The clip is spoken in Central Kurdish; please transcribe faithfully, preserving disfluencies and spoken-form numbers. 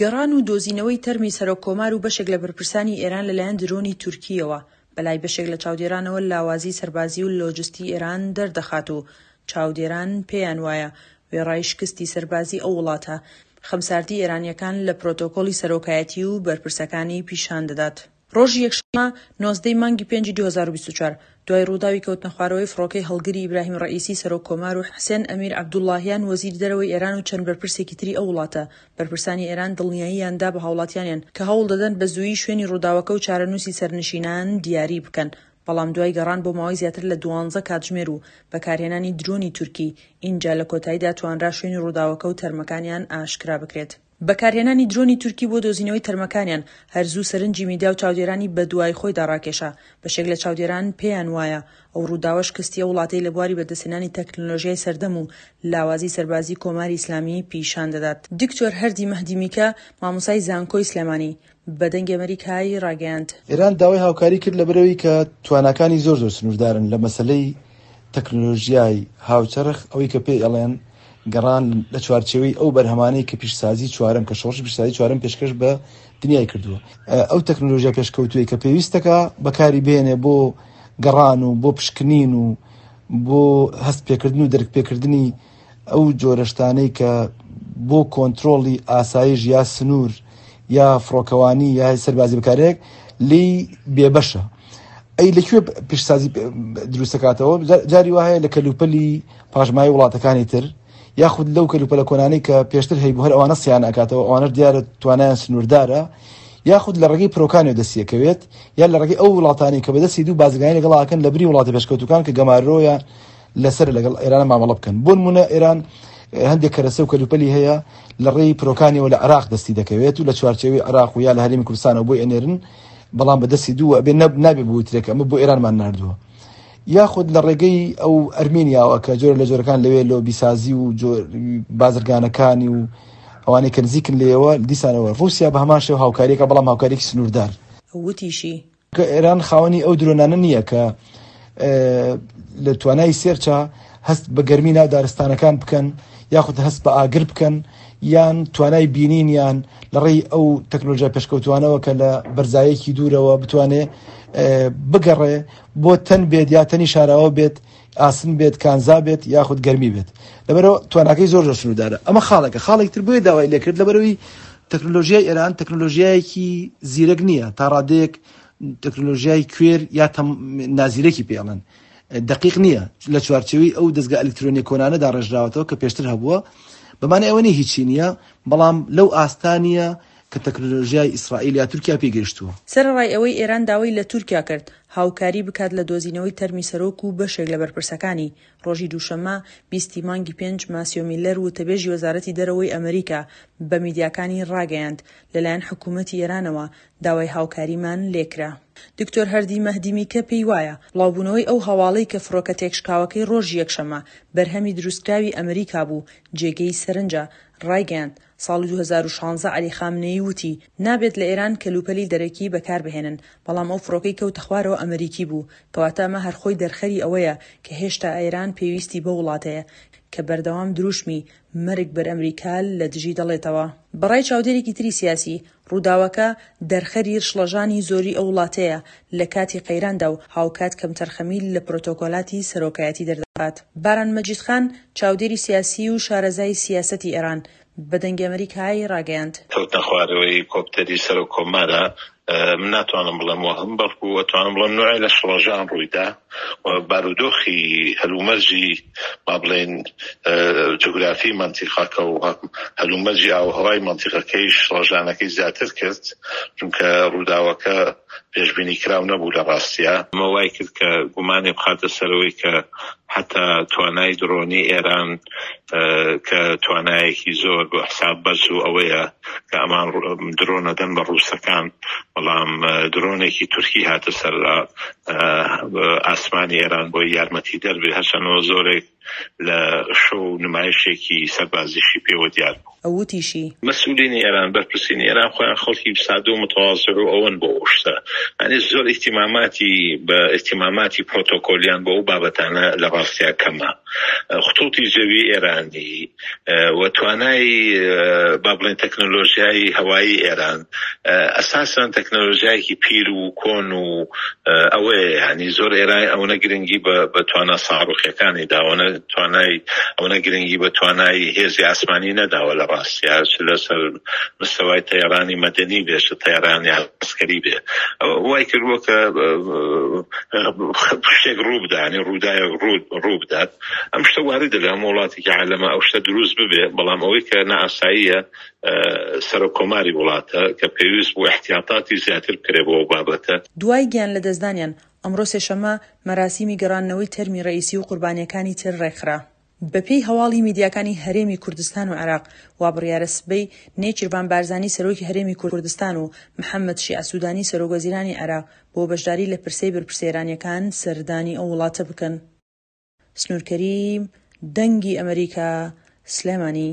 گەڕان و دۆزینەوەی تەرمی سەرۆک کۆمار و بەشێک لە بەرپرسانی ئێران لەلایەن درۆنی تورکییەوە بەلای بەشێک لە چاودێرانەوە لاوازی سەربازی و لۆجستی ئێران دەردەخات و چاودێران پێیان وایە وێڕای شکستی سەربازی ئەو وڵاتە، خەمساردی ئێرانییەکان لە پرۆتۆکۆلی سەرۆکایەتی و بەرپرسەکانی پیشان دەدات. ڕۆژی یەکشەممە نۆزدە ی مانگی پێنجی دوو هەزار و بیست و چوار، دوای ڕووداوی کەوتنەخوارەوەی فڕۆکەی هەڵگری ئیبراهیم ڕەئیسی سەرۆک کۆمار و حسێن ئەمیر عەبدوڵڵاهیان وەزیری دەرەوەی ئێران و چەند بەرپرسێکی تری ئەو وڵاتە، بەرپرسانی ئێران دڵنیاییان دا بە هاوڵاتیانیان کە هەوڵ دەدەن بە زوویی شوێنی ڕووداوەکە و چارەنووسی سەرنشینان دیاری بکەن، بەڵام دوای گەڕان بۆ ماوەی زیاتر لە دوانزە کاتژمێر و بەکارهێنانی درۆنی تورکی، ئینجا لە کۆتاییدا توانرا شوێنی ڕووداوەکە و تەرمەکانیان ئاشکرا بکرێت. بەکارهێنانی درۆنی تورکی بۆ دۆزینەوەی تەرمەکانیان هەر زوو سەرنجی میدیا و چاودێرانی بەدوای خۆیدا ڕاکێشا، بەشێک لە چاودێران پێیان وایە ئەو ڕووداوە شکستی ئەو وڵاتەی لە بواری بەدەستهێنانی تەکنەلۆژیای سەردەم و لاوازی سەربازی کۆماری ئیسلامی پیشان دەدات. دکتۆر هەردی مەهدی میکە، مامۆستای زانکۆی سلێمانی، بە دەنگی ئەمەریکای ڕاگەیاند، ئێران داوای هاوکاری کرد لەبەرئەوەی کە تواناکانی زۆر زۆر سنووردارن لە مەسەلەی تەکنۆلۆژیای هاوچەرخ، ئەوەی کە پێی ئەڵێن گەڕان لە چوارچێوەی ئەو بەرهەمانەی کە پیشسازی چوارەم، کە شۆڕشی پیشسازی چوارەم پێشکەش بە دنیای کردووە، ئەو تەکنۆلۆژیا پێشکەوتووەی کە پێویستەکە بەکاری بهێنێ بۆ گەڕان و بۆ پشکنین و بۆ هەست پێکردن و دەرک پێکردنی ئەو جۆرە شتانەی کە بۆ کۆنترۆڵی ئاسایش یا سنوور یا فڕۆکەوانی یا سەربازی بکارێک لێی بێبەشە. ئەی لەکوێ پیشسازی دروستەکاتەوە؟ جاری وا هەیە لە کەلوپەلی پاشمایی وڵاتەکانی تر، یاخود لەو کەلوپەلە کۆنانەی کە پێشتر هەیبوو هەر ئەوانە سیان ئەکاتەوە، ئەوانەش دیارە توانایان سنووردارە، یاخود لە ڕێگەی پرۆکانیەوە دەستیەکەوێت، یا لە ڕێگەی ئەو وڵاتانەی کە بەدەستی دوو بازرگانی لەگەڵ ئاکەن لە بری وڵاتە پێشکەوتوەکان کە گەمارۆیان لەسەر لەگەڵ ئێران مامەڵە بکەن. بۆ نمونە ئێران هەندێک کەرەسە و کەلوپەلی هەیە لە ڕێی پرۆکانیەوە لە عێراق دەستی دەکەوێت و لە چوارچێوەی عێراق و یا لە هەرێمی کوردستانەوە بۆی ئەنێرن، بەڵام بەدەستی دوو ئەبێ نابێ بوترێت کە ئەمە بۆ ئێرانمان ناردووە. یاخود لە ڕێگەی ئەو ئەرمینیاوە کە جۆرە لە جۆرەکان لەوێ لۆبیسازی و بازرگانەکانی و ئەوانەی کە نزیکن لێیەوە، دیسانەوە ڕووسیا بە هەمان شێوە هاوکاریەکە، بەڵام هاوکاریەکی سنووردار. وتیشی، کە ئێران خاوەنی ئەو درۆنانە نییە کە لە توانای سێرچە هەست بە گەرمی ناو دارستانەکان بکەن، یاخود هەست بە ئاگر بکەن، یان توانای بینینیان لە ڕێی ئەو تەکنۆلۆژیا پێشکەوتوانەوە کە لە بەرزایەکی دوورەوە بتوانێ بگەڕێ بۆ تەن بێت یا تەنی شاراوە بێت، ئاسن بێت، کانزا بێت، یاخود گەرمی بێت. لەبەرەوە تواناکەی زۆر زۆر سنووردارە. ئەمە خاڵێکە. خاڵێک تر بۆیە داوای لێکرد لەبەرەوەی تەکنۆلۆژیای ئێران تەکنۆلۆژیایەکی زیرەک نییە، تا ڕادەیەک تەکنۆلۆژیای کوێر یا نازیرەکی پێڵێن دقیق نییە، لە چوارچێوەی ئەو دەستگا ئەلکترۆنیە کۆنانە داڕێژراوەتەوە کە پێشتر هەبووە. بەمانە ئەوە نییە هیچی نییە، بەڵام لەو ئاستانیە کە تەکنۆلۆژیای ئیسرائیل یا تورکیا پێگەیشتووە. سەرەڕای ئەوەی ئێران داوای لە تورکیا کرد هاوکاری بکات لە دۆزینەوەی تەرمی سەرۆک و بەشێک لە بەرپرسەکانی، ڕۆژی دووشەممە بیست ی مانگی پێنج ماسیۆ میلەر وتەبێژی وەزارەتی دەرەوەی ئەمریکا بە میدیاکانی ڕاگەیاند، لەلایەن حکوومەتی ئێرانەوە داوای هاوکاریمان لێکرا. دکتۆر هەردی مەهدی میکە پێی وایە، بڵاوبوونەوەی ئەو هەواڵەی کە فڕۆکە تێکشکاوەکەی ڕۆژی یەکشەممە بەرهەمی دروستکراوی ئەمریکا بوو جێگەی سەرنجە، ڕایگەیاند، ساڵی دوو هەزار و شازدە عەلی خامنەیی وتی، نابێت لە ئێران کەلوپەلی دەرەکی بەکاربهێنن، بەڵام ئەو فڕۆکەی کەوتە خوارەوە ئەمریکی بوو، کەواتە ئەمە هەر خۆی دەرخەری ئەوەیە کە هێشتا ئێران پێویستی بەو وڵاتەیە کە بەردەوام دروشمی مەرگ بەر ئەمریکا لە دژی دەڵێتەوە. بەڕای چاودێرێکی تری سیاسی، ڕووداوەکە دەرخەری شڵەژانی زۆری ئەو وڵاتەیە لە کاتی قەیراندا و هاوکات کەمتەرخەمی لە پرۆتۆکۆلاتی سەرۆکایەتی دەردەخات. باران مەجید خان، چاودێری سیاسی و شارەزای سیاسەتی ئێران، بە دەنگی ئەمەریکای ڕاگەیاند، کەوتنە خوارەوەی کۆپتەری سەرۆک کۆمارە، من ناتوانم بڵێم وەهم، بەڵکو ئەتوانم بڵێم نوعێ لە شڵەژان ڕوویدا و بارودۆخی هەلومەرجی با بڵێن جوگرافی مەنتیقەکە و هەلومەرجی ئاوهەوای مەنتیقەکەی شڵەژانەکەی زیاتر کرد، چونکە ڕووداوەکە پێشبینی کراو نەبوو لە ڕاستیە. ئەمە وای کرد کە گومانێ بخاتە سەرەوەی کە حتا توانای درۆنی ئێران کە توانایەکی زۆر بۆ حساب بەرز و ئەوەیە کە ئەمان درۆنە دەن بە ڕووسەکان، بەڵام درۆنێکی تورکی هاتە سەر ئاسمانی ئێران بۆی یارمەتی دەربێ، هەرچەندەوە زۆرێک لە شۆ و نمایشێکی سەربازیشی پێوە دیار بوو. ئەو وتیشی، مەسئولینی ئێران، بەرپرسینی ئێران خۆیان خەڵکی سادە و متەوازع و ئەوەن بۆ ئەو شتە، یعنی زۆر ئیهتیماماتی بە ئیهتیماماتی پرۆتۆکۆلیان بۆ ئەو بابەتانە لە ڕاستیا کەمە. خطوطی جەوی ئێرانی و توانای با بڵێن تەکنۆلۆژیای هەوایی ئێران ئەساسەن تەکنۆلۆژیایەکی پیر و کۆن و ئەوەیە، یعنی زۆر ئێران ئەوەنە گرنگی بە توانا ساڕوخیەکانی داوە، توانای ئەوەنە گرنگی بە توانای هێزی ئاسمانی نەداوە لە ڕاستیا، چ لەسەر مستەوای تەیرانی مەدەنی بێ چ تەیرانی عەسکەری بێ. وای کردووە کە شتێک ڕوو بدات، یعنی ڕووداوێک ڕوو بدات. ئەم شتە واردە لە هەموو وڵاتێکی عالەمە ئەو شتە دروست ببێ، بەڵام ئەوەی کە نائاساییە سەرۆک کۆماری وڵاتە کە پێویست بوو احتیاطاتی زیاتر بکرێ بۆ ئەو بابەتە. دوای گیان لەدەستدانیان، ئەمڕۆ سێشەممە مەراسیمی گەڕاندنەوەی تەرمی ڕەئیسی و قوربانییەکانی تر ڕێکخرا. بەپێی هەواڵی میدیاکانی هەرێمی کوردستان و عێراق، وابڕیارە سبەی نێچیرڤان بارزانی سەرۆکی هەرێمی کوردستان و محەممەد شیعە سوودانی سەرۆکوەزیرانی عێراق بۆ بەشداری لە پرسەی بەرپرسە ئێرانییەکان سەردانی ئەو وڵاتە بکەن. سنوور کەریم، دەنگی ئەمەریکا، سلێمانی.